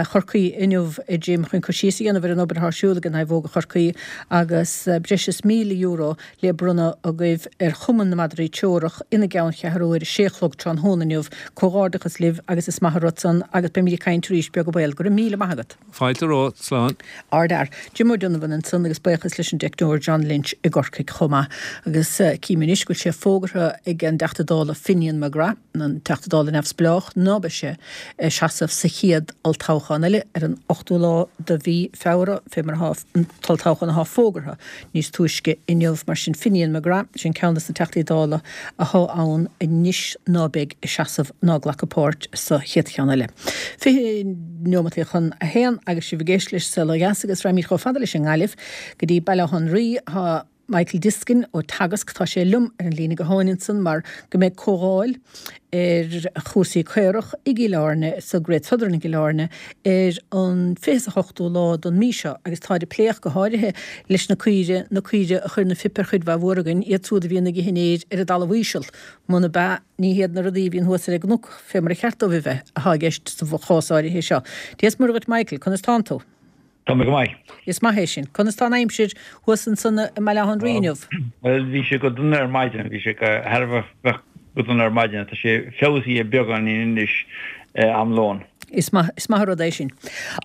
Chorcaí inniu, a Jim, chun cur síos a dhéanamh ar an obair atá ar siúl ag Naomhóga Chorcaí agus breis is míle euro le bronnadh agaibh ar Chumann na Madraí Teorach ina gceanncheathrú ar a sé a chlog tráthnóna inniu. Comhghairdeachas libh agus is maith an rud san agus beimid ag caint arís beag an baol. Go raibh míle maith agat. Fáilte romhat, slán. Ardfhear. Jim O'Donovan ansan agus buíochas leis an dteicneoir John Lynch i gCorcaigh chomh maith. Agus cím anois go bhfuil sé fógartha ag an dTeachta Dála Finian McGrath, an Teachta Dála neamhspleách, ná beidh sé ag seasamh sa chéad olltoghchán eile ar an ochtú lá de mhí Feabhra, fé mar atá an t-olltoghchán atá fógartha níos túisce inniu. Mar sin Finian McGrath, sin ceann de na Teachtaí Dála atá ann anois ná beidh ag seasamh ná ag glacadh páirt sa chéad cheann eile. Fiche neomataí chun a haon agus sibh ag éisteacht leis Saol Ó Dheas agus raghaimid chomh fada leis an nGaillimh go dtí Baile Átha an Rí. Tá Michael Diskin ó Teagasc, tá sé liom ar an líne gutháin ansan mar go mbeidh comhdháil ar chúrsaí caorach i gCill Airne, sa Great Southern i gCill Airne ar an fiche is a hochtú lá don mí seo agus táid ag plé ach go háirithe leis na caoire, na caoire a chuir na fuip ar chuid mhaith mhór againn, iad siúd a bhíonn ag ithe an fhéir ar an dtalamh íseal, muna b'ea ní hiad na rudaí a bhíonn thuas ar an gcnoc fé mar a cheart dóibh a bheith atá i gceist sa chás áirithe seo. Dia is Muire dhuit Michael, conas tánn tú? Tá mé go maith. Is maith é sin. Conas tá an aimsir thuas ansan i mBaile Átha an Rí inniu? Bhuel, bhí sé go dona ar maidin, bhí sé go thar a bheith go dona ar maidin. Tá sé feabhsaithe beagáinín anois am lóin. Is maith, is maith an rud é sin.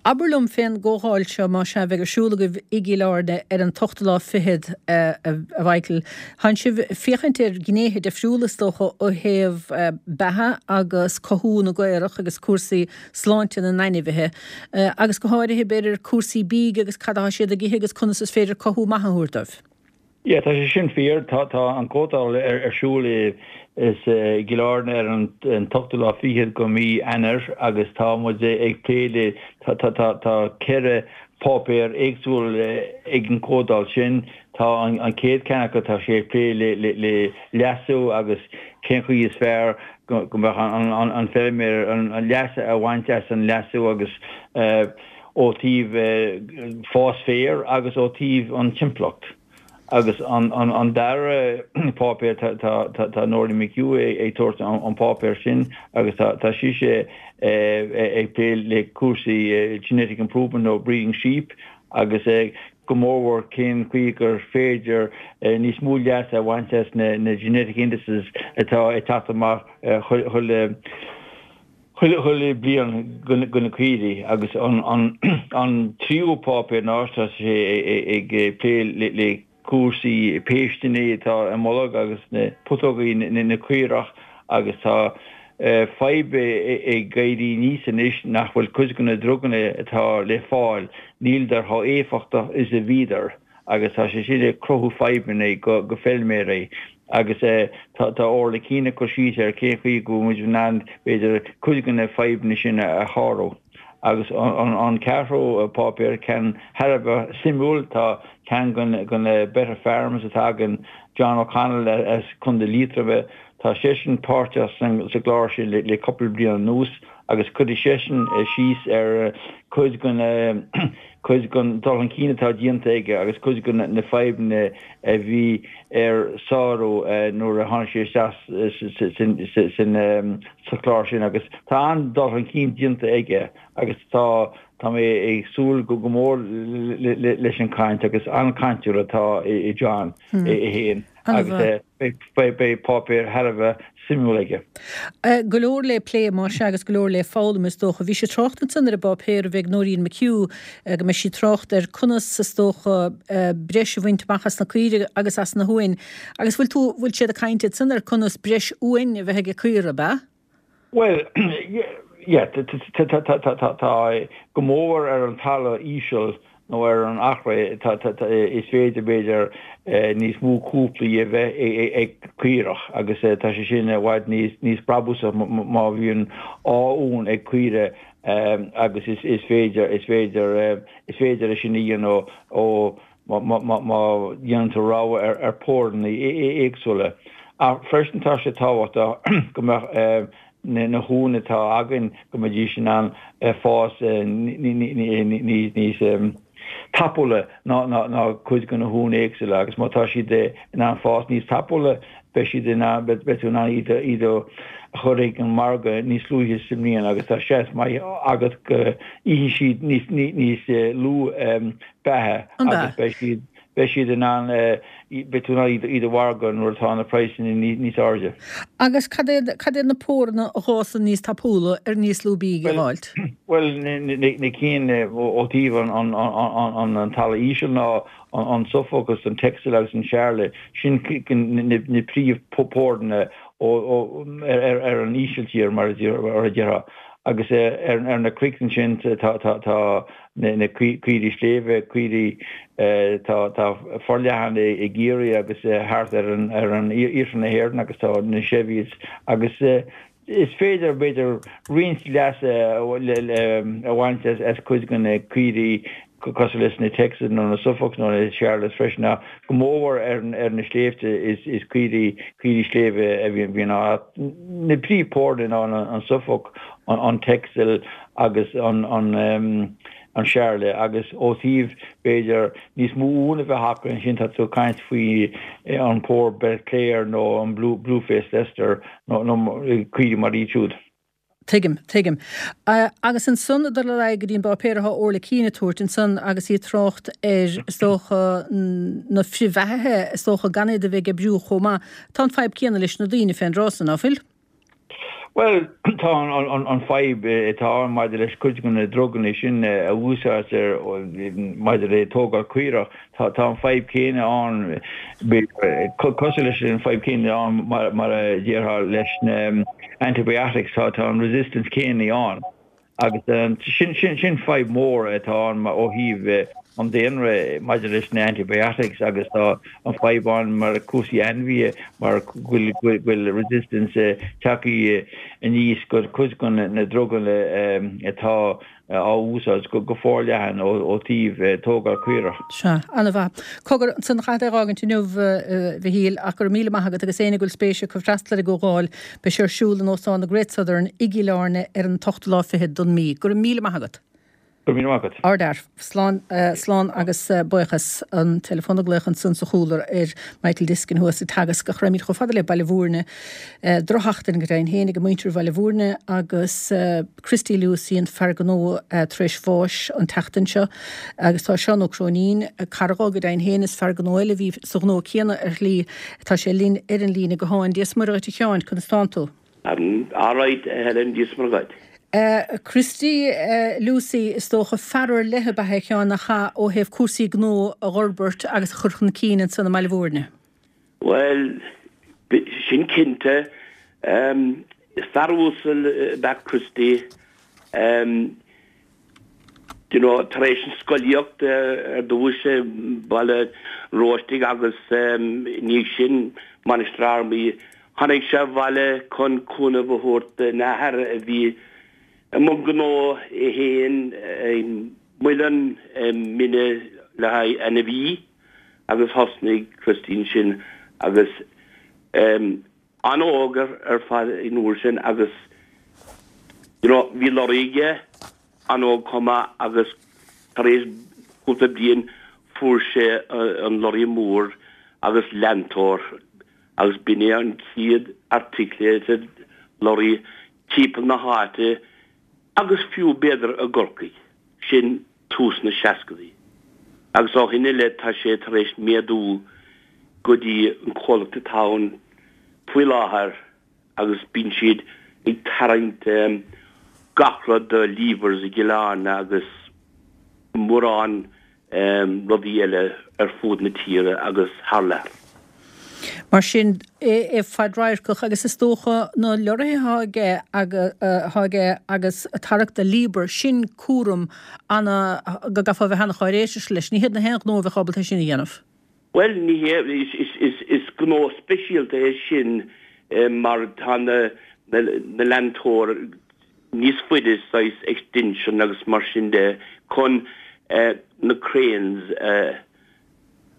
Abair liom fén gcomhdháil seo, más ea, a bheidh ar siúl agaibh i gCill Airne ar an t-ochtú lá fichead, a Mhichael. Tánn sibh ag féachaint ar ghnéithe difriúla, is dócha, ó thaobh beatha agus cothú na gcaorach agus cúrsaí sláinte na n-ainmhithe, agus go háirithe, b'fhéidir, cúrsaí bídh agus cad atá siad ag ithe agus conas is féidir cothú maith a thabhairt dóibh. Yeah, tá sé sin fíor. Tá tá an comhdháil ar ar siúl i is i gCill Airne ar an an t-ochtú lá fichead go mí Eanáir agus tá muid ag plé le tá tá tá tá ceithre páipéar éagsúil ag an comhdháil sin. Tá an an chéad ceann acu tá sé ag plé le le le leasú agus cén chaoi is fearr go go mbeadh an an an feilméar an an leas a bhaint as an leasú agus ó taobh fás féir agus ó taobh an timpeallacht. Agus an dara páipéar, tá Nóirín McHugh ag tabhairt an páipéar sin agus tá sise ag plé le cúrsaí genetic improvement nó breeding sheep agus go mórmhór cén chaoi gur féidir níos mó leas a bhaint as na genetic indices atá ag teacht amach chuile chuile bliain do na caoirigh. Agus an tríú páipéar ná tá sé ag plé le cúrsaí péisteanna atá i mbolg agus na putógaí na caorach agus tá fadhb ag éirí aníos anois nach bhfuil cuid de na druganna atá le fáil, níldar chomh éifeachtach is a bhíodar agus tá sé sin ag cruthú fadhbanna go feilméaraí agus tá Orla Keane ag cur síos ar cén chaoi go bhfuil muid in ann b'fhéidir cuid de na fadhbanna sin a shárú. Agus an ceathrú páipéar, ceann thar a bheith suimiúil, tá ceann de na Better Farms atá againn, John O'Connell as Contae Liatroma, tá seisean páirteach sa gclár sin le cúpla bliain anuas agus cuirfidh seisean síos ar cuid den cuid den dul chun cinn atá déanta aige agus cuid de na fadhbanna a bhí air sárú nuair a tháinig sé isteach sa chlár sin agus tá an-dul chun cinn déanta aige agus tá tá mé ag súil go mór leis an chaint agus an-chainteoir atá i John é féin agus beidh páipéar thar a bheith suimiúil aige. Go leor le plé, más ea, agus go leor le foghlaim, is dócha. Bhí sé ag trácht ansan ar an bpáipéar a bheidh ag Nóirín McHugh, go mbeidh sí ag trácht ar conas, is dócha, breis a bhaint amach as na caoirigh agus as na huain. Agus bhfuil tú, bhfuil siad ag caint ansan ar conas breis uain a bheith ag caora, ab ea? Bhuel, yeah, tá go mór ar an talamh íseal nó ar an Achréidh, is féidir, b'fhéidir, níos mó cúplaí a bheith ag caorach agus tá sé sin i bhfad níos brabúsaí má bhíonn dhá uan ag caoire agus is féidir, is féidir, is féidir é sin a dhéanamh ó má dhéanann tú rogha ar phóranna éagsúla. Ach freisin tá sé tábhachtach go mbeadh na huain atá againn, go mbeidís in ann fás níos tapúla ná cuid de na huain éagsúla agus má tá siad in ann fás níos tapúla beidh siad in ann, beidh tú in ann iad a chur ag an margadh níos luaithe sa mbliain agus tá seans maith agat go n-ithfidh siad níos lú beatha agus beidh siad beidh siad in ann, beidh tú in ann iad a mhargadh nuair atá na praghsanna níos airde. Agus cad iad, cad iad na póranna a fhásann níos tapúla ar níos lú bídh a fháilt? Bhuel, na cinn ó thaobh an talamh íseal ná an Suffolk agus an Texel agus an Charolais, sin na príomh-phóranna ar an ísiltír, mar a déarfá. Agus ar na cnoic ansin tá na caoirigh sléibhe, caoirigh tá forleathan i gCiarraí agus thart ar an iarthar na hÉireann agus tá na Cheviots agus is féidir, b'fhéidir, roinnt leas a bhaint as cuid de na caoirigh cosúil leis na Texels nó na Suffolks nó na Charolais freisin ach go mórmhór ar na sléibhte is caoirigh caoirigh sléibhe a bhíonn ann. Na príomhphóranna ná an Suffolk, an Texel agus an Charolais agus ó thaobh b'fhéidir níos mó uan a bheith acu ansin tá tú ag caint faoi an pór Belclare nó an Blue-Faced Leicester nó caoirigh mar iad siúd. Tuigim, tuigim. Agus ansan, ag dul ar aghaidh go dtí an bpáipéar atá Orla Keane ag tabhairt ansan agus í ag trácht ar, is dócha, na frithbheathaithe, is dócha, gan iad a bheith ag oibriú chomh maith. Tá an fadhb céanna leis na daoine fén dtráth san, ná fuil? Bhuel, tá an fadhb atá ann maidir leis cuid de na druganna sin a úsáidtear maidir le tógáil caorach, Tá an fadhb céanna ann, cosúil leis an fadhb céanna ann mar a déarfá leis na antibiotics, tá an resistance céanna ann agus sin fadhb mór atá ann ó thaobh an daonra maidir leis na antibiotics agus tá an fadhb ann mar cúrsaí ainmhithe mar go bhfuil resistance tagtha aníos go cuid de na druganna atá á úsáid go forleathan ó taobh tógáil caorach. Sea, an-mhaith. Cogar, ansan caithfead é a dh'fhágaint inniu, a Mhichíl, ach go raibh míle maith agat agus éinne go bhfuil spéis acu freastal ar an gcomhdháil, beidh sé ar siúl in Óstán na Great Southern i gCill Airne ar an t-ochtú lá fichead don mí. Go raibh míle maith agat. Go raibh míle maith agat. Ardfhear. Slán, slán agus buíochas. An teileafón ag glaoch ansan sa chúlra ar Michael Diskin thuas ag teagasc ach raghaimid chomh fada le Baile Bhúirne. Drochsheachtain go deimhin féin ag muintir Bhaile Bhúirne agus Christy Lucey an fear gnó tar éis bháis an tseachtain seo agus tá Seán Ó Cróinín, cara dhó go deimhin féin is fear gnó eile a bhí sa ghnó céanna ar shlí, tá sé linn ar an líne gutháin. Dia is Muire dhuit a Sheáin, conas tánn tú? Alright a Helen, Dia is Muire dhuit. Christy Lucey, is dócha, fear ar leith ab ea é a Sheáin nach ea, ó thaobh cúrsaí gnó a dh'fhorbairt agus a chur chun cinn ansan i mBaile Bhúirne? Bhuel, sin cinnte. Fear uasal ab ea Christy. You know, tar éis an scolaíocht ar dtús i mBaile an Róistigh agus i ndiaidh sin Mainistir Fhearmaí, tháinig sé abhaile chun cúnamh a thabhairt dona athair a bhí i mbun gnó é féin i muileann mine le haghaidh ainmhí agus thosnaigh Christy ansin agus an-óg ar fad an uair sin agus you know bhí lorry aige an-óg chomh maith agus tar éis cúpla bliain fuair sé an lorry mór agus leantóir agus b'in é an chéad articulated lorry timpeall na háite agus fiú b'fhéidir i gCorcaigh. Sin tús na seascadaí. Agus ó shin i leith tá sé tar éis méadú go dtí an comhlacht atá ann faoi láthair agus bíonn siad ag tarraingt gach rud do Leavers i gCill Airne agus mórán rudaí eile ar fud na tíre agus thar lear. Mar sin, é fadradharcach agus is dócha na leoraithe atá aige agus ag tarrac do Liebherr, sin cúram ana, go gcaithfeá a bheith ana-cháiréiseach leis. Ní hiad na haon ghnó a bheadh ábalta é sin a dhéanamh. Bhuel, ní hea, is gnó speisialta é sin mar tá na leantóir níos faide, saghas extension agus mar sin de, chun na cranes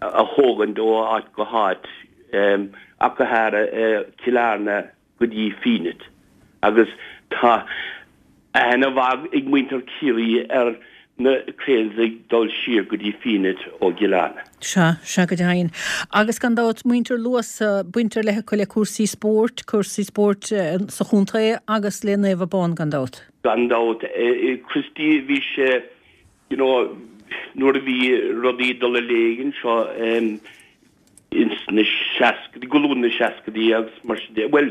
a thógaint ó áit go háit, ach go háirithe Cill Airne go dtí Fenit. Agus tá aithne mhaith ag muintir Chiarraí ar na cranes ag dul siar go dtí Fenit ó gCill Airne. Sea, sea go deimhin. Agus gan dabht muintir Luasa, baint ar leith acu le cúrsaí spóirt, cúrsaí spóirt sa chontae agus le Naomh Abán gan dabht. Gan dabht. Christy, bhí sé, you know, nuair a bhí rudaí ag dul i léig anseo ins na seascaidí, go luath na seascaidí agus mar sin de, bhuel,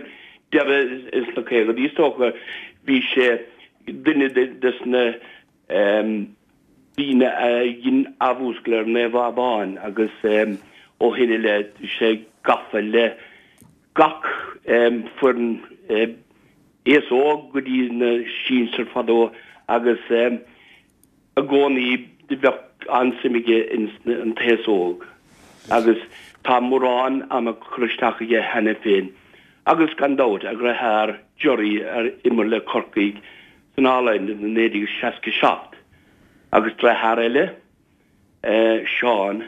deireadh ins na caogaidí is dócha, bhí sé duine des na daoine a dhein athmhúscailt ar Naomh Abán agus ó shin i leith bhí sé gafa le gach foireann aos óg go dtí na sinsir fadó agus i gcónaí bheadh an-suim aige ins an t-aos óg agus tá mórán ama curtha isteach aige cheana féin agus gan dabht a dheartháir Gerry a imir le Corcaigh san All Ireland i naoi déag seasca seacht agus deartháir eile Seán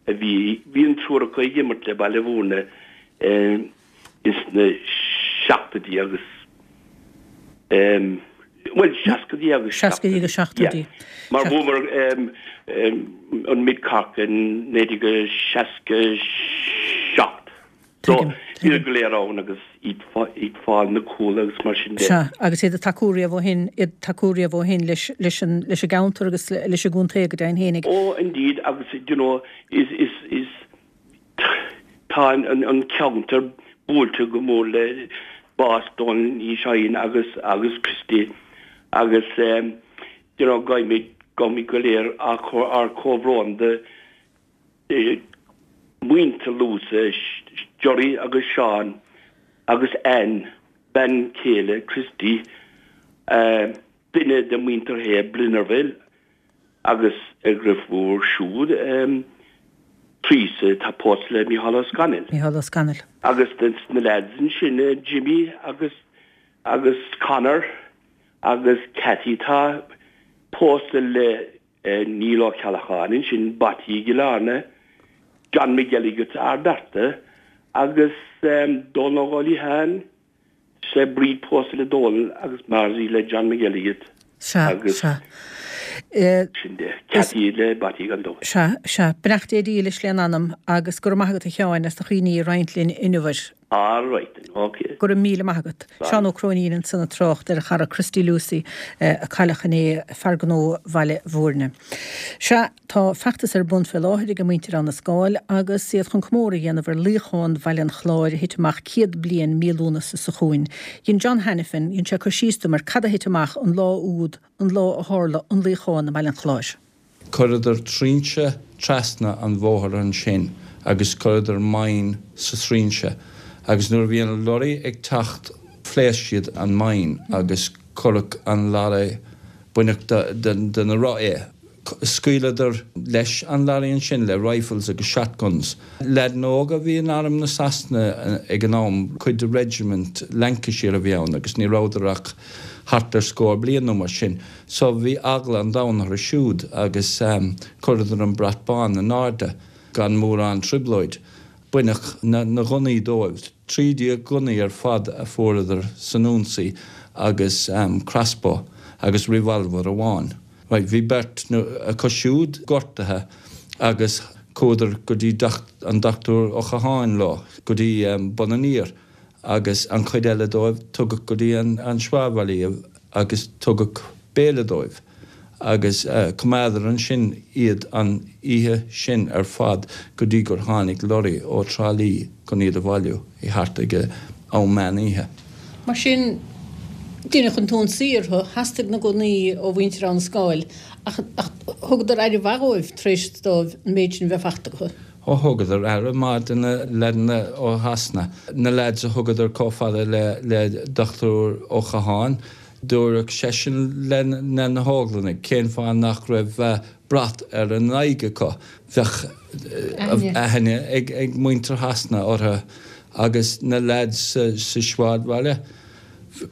a bhí bhí an triúr acu ag imirt le Baile Bhúirne ins na seachtóidí agus bhuel seascaidí agus seascaidí agus seachtóidí mar bhuamar an Mid Cork in naoi déag seasca seacht. So bhíodar go léir ann agus iad ag fáil na cúl agus mar sin de. Sea, agus iad ag tacú riamh ó shin, iad ag tacú riamh ó shin leis, leis an, leis an gceantar agus leis an gcontae go deimhin fhéinig. Oh indeed agus you know is, is, is tá an, an, an ceantar buailte go mór le bás Dónal Uí Sheighin agus, agus Christy agus um, you know gabhaimid, gabhaimid go léir ár, ár comhbhrón do, Muintir Lucey, Gerry agus Seán agus Ann, bean chéile Christy, duine de mhuintir Shé Blennerville Agus a dhriofúr siúd, Teresa, tá pósta le Mícheál Ó Scanaill. Mícheál Ó Scanaill. Agus na leaids ansin, Jimmy agus agus Conor agus Cathy tá pósta le Neil Ó Ceallacháin ansin, Batty i gCill Airne, John McElligott Ard Fhearta agus Dónal Ó Liatháin, sé Bríd pósta le Dónal agus Marzie le John McElligott. Sea, agus sea. Sin de, Cathy le Batty gan dabht. Sea, sea. Beannacht Dé dílis lena anam agus go raibh maith agat a Sheáin as do chuimhní a roinnt linn inniu air. All right then, ok. Go raibh míle maith agat. Seán Ó Cróinín ansan ag trácht ar a chara Christy Lucey a cailleadh inné, fear gnó Bhaile Bhúirne. Sea, tá feachtas ar bun fé láthair ag muintir Abha na Scáil agus iad chun comóradh a dhéanamh ar luíochán Bhaile an Chláir a thit amach céad bliain mí Lúnasa seo chugainn. Dhein John Hanafin, dhein sé cur síos dom ar cad a thit amach an lá úd, an lá a tharla an luíochán i mBaile an Chláir. Chuireadar trinse trasna an bhóthair ansin agus chuireadar mine sa trinse agus nuair a bhí an lorry ag teacht phléasc siad an mine agus cuireadh an lorry, baineadh de na roth é. Scaoileadar leis an lorry ansin le rifles agus shotguns. Leaideanna óga a bhí in arm na Sasana ag an am, cuid de regiment Lancashire a bhí ann agus ní rabhadar ach thart ar scór bliain nó mar sin. So bhí eagla an domhain orthu siúd agus chuireadar an brat bán in airde gan mórán trioblóid. Baineadh na gunnaí dóibh, trí déag gunnaí ar fad a fuaireadar san ionsaí agus crossbow agus revolver amháin. Right, bhí beirt acu siúd gortaithe agus chuadar go dtí an Dochtúir Ó Catháin leo go dtí Bun an Iúir agus an chuid eile dóibh tugadh go dtí an sráidbhaile iad agus tugadh béile dóibh agus coimeádadar ansin iad an oíche sin ar fad go dtí gur tháinig lorry ó Trá Lí chun iad a bhailiú i thart ag am meán oíche. Mar sin, deineadh an t-ionsaí orthu, theastaigh na gunnaí ó mhuintir Abha na Scáil ach thugadar aire mhaith dhóibh tar éis dóibh an méid sin bheith fachta acu. Ó thugadar aire maith do na leaideanna ó Shasana, na leaids a thugadar chomh fada le Dochtúir Ó Catháin, dúradh seisean le na hÓglannaigh cén fáth nach raibh brat ar a n-aghaidh acu, bheadh aithne ag muintir Shasana orthu agus na leaids sa sráidbhaile,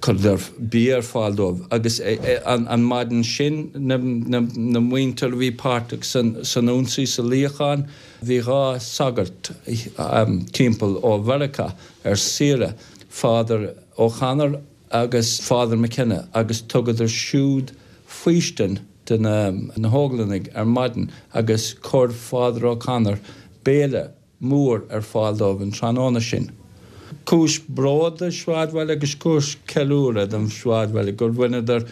chuireadar bia ar fáil dóibh agus an maidin sin na muintir a bhí páirteach san ionsaí sa luíochán, bhí dhá sagart timpeall ó Mheiriceá ar saoire, Father O'Connor agus Father McKenna agus thugadar siúd faoistin do na hÓglannaigh ar maidin agus chuir Father O'Connor béile mór ar fáil dóibh an tráthnóna sin. Cúis bróid don sráidbhaile agus cúis ceiliúradh don sráidbhaile gur bhaineadar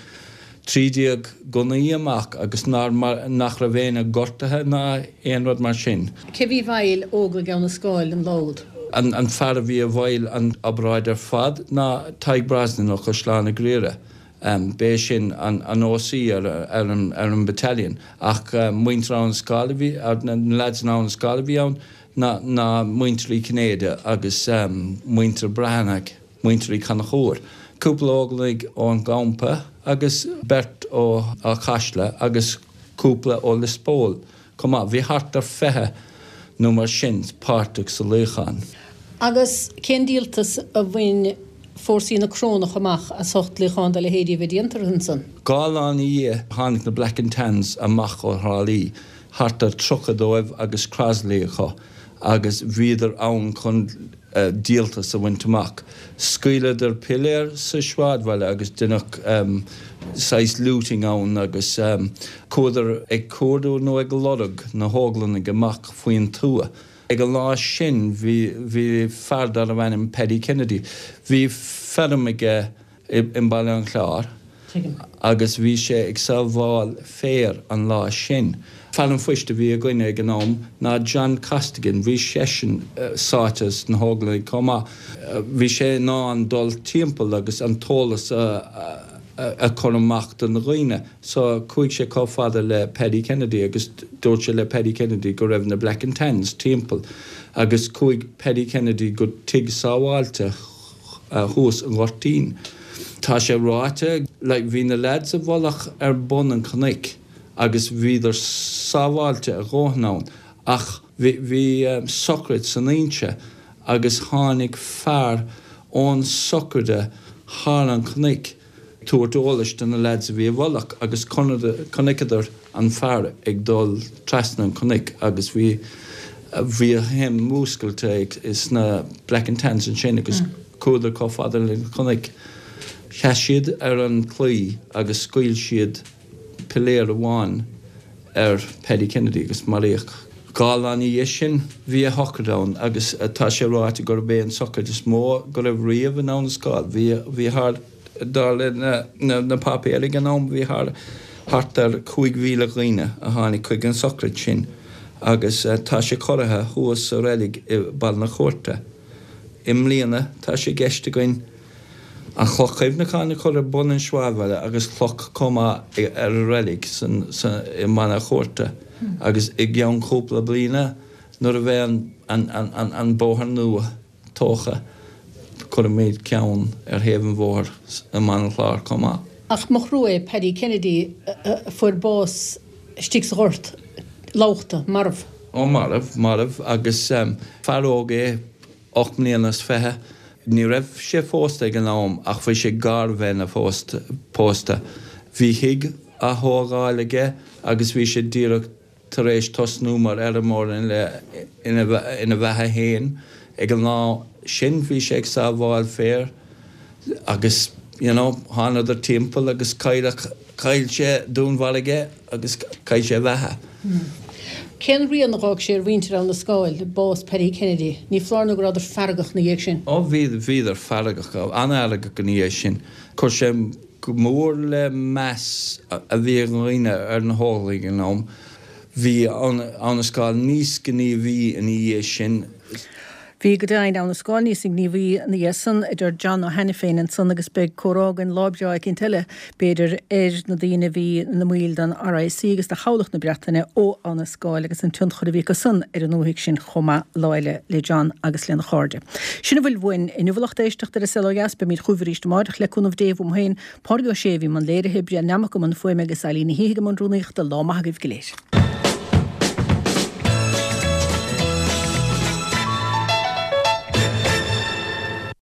trí déag gunnaí amach agus nár nach raibh éinne gortaithe ná aon rud mar sin. Cé bhí i bhfeighil Óglaigh Abha na Scáil an lá úd? An an fear a bhí i bhfeighil an obráid ar fad ná Tadhg Brosnan ó Chaisleán an Ghriaire. B'é sin an an OC ar ar an ar an battalion ach muintir Abha na Scáil a bhí, na lads in Abha na Scáil a bhí ann ná ná muintir Uí Chinnéide agus muintir Breathnach, muintir Uí Chonchúir. Cúpla Óglaigh ón gcampa agus beirt ó Áth Caisle agus cúpla ó Lios Póil chomh maith. Bhí thart ar fiche nó mar sin páirteach sa luíochán. Agus cén díoltas a bhain fórsaí na Corónach amach as ucht luíochán dá leithéidí a bheith déanta orthu ansan? Dhá lá ina dhiaidh tháinig na Black and Tans amach ó Thrá Lí, thart ar tríocha dóibh agus Crosley acu, agus bhíodar ann chun díoltas a bhaint amach. Scaoileadar piléar sa sráidbhaile agus deineadh saghas looting ann agus chuadar ag cuardú nó ag lorg na hÓglannaigh amach faoin tuath. Ag an lá sin bhí bhí fear darbh ainm Paddy Kennedy. Bhí feirm aige i mBaile an Chláir agus bhí sé ag sábháil féir an lá sin. Fear an phoist a bhí againne ag an am ná John Costigan, bhí seisean sáite sna hÓglaigh chomh maith. Bhí sé in ann dul timpeall agus an t-eolas a chur amach do na dhaoine. So chuaigh sé chomh fada le Paddy Kennedy agus dúirt sé le Paddy Kennedy go raibh na Black and Tans timpeall agus chuaigh Paddy Kennedy go tigh sábháilte thuas i nGoirtín. Tá sé ráite, like, bhí na lads i bhfolach ar bun an chnoic agus bhíodar sábháilte a dhóthain ann ach bhí sochraid san Inse agus tháinig fear ón sochraide thar an chnoic tabhairt eolais do na lads a bhí i bhfolach agus chonaiceadar an fear ag dul trasna an chnoic agus bhí bhí a shuim múscailte ag sna Black and Tans ansin agus chuadar chomh fada le cnoic. Sheas siad ar an chlaí agus scaoil siad piléar amháin ar Paddy Kennedy agus maraíodh. Dhá lá ina dhiaidh sin bhí a shochraid ann agus tá sé ráite gurb é an sochraid is mó go raibh riamh in Abha na Scáil. Bhí bhí thar dar le na na páipéir ag an am bhí thar thart ar cúig mhíle dhaoine a tháinig chuig an sochraid sin agus tá sé curtha thuas sa reilig i Baile na Cúirte. I mbliana tá sé i gceist againn an chloch chuimhneacháin a chur ar bun an sráidbhaile agus cloch chomh maith ar an reilig san i mBaile na Cúirte agus i gceann cúpla bliana nuair a bheidh an an an an bóthar nua tógtha cuirfimid ceann ar thaobh an bhóthair i mBaile an Chláir chomh maith. Ach mo thrua é Paddy Kennedy a fuair bás istigh sa ghort, lúbtha, marbh. Ó marbh, marbh agus fear óg é, ocht mbliana is fiche. Ní raibh sé phósta ag an am ach bhí sé gar bheith ina phósta. Pósta. Bhí thigh á thógáil aige agus bhí sé díreach tar éis tosnú mar fheirmeoir ina ina bheatha fhéin. Ag an lá sin bhí sé ag sábháil féir agus you know thánadar timpeall agus cailleadh, chaill sé, dúnmharaigh é agus chaill sé a bheatha. Cén rian a dh'fhág sé ar mhuintir Abha na Scáil, bás Paddy Kennedy? Ní foláir nó go rabhadar feargach ina dhiaidh sin. Ó bhí, bhíodar feargach, an-fheargach ina dhiaidh sin. Chuir sé go mór le meas a bhí ag dhaoine ar na hÓglaigh ag an am. Bhí Abha na Scáil níos gníomhaí ina dhiaidh sin. Bhí go deimhin Abha na Scáil níos gníomhaí ina dhiaidh san, a deir John Ó hAiniféin ansan agus beidh comhrá againn lá breá eicínt eile, b'fhéidir, ar na daoine a bhí ina mbaill den RIC agus de Chabhlach na Breataine ó Abha na Scáil agus an tionchar a bhí acu san ar an ndúthaigh sin chomh maith lá eile le John agus lena chairde. Sin a bhfuil uainn inniu a lucht éisteachta ar An Saol Ó Dheas. Beimid chugaibh arís amáireach le cúnamh Dé uaim féin, Pádraig Ó Sé a bhí i mbun léirithe, Brian Nammock i mbun fuaime agus Eileen Ní hIgim i mbun rúnaíochta. Lá maith agaibh go léir.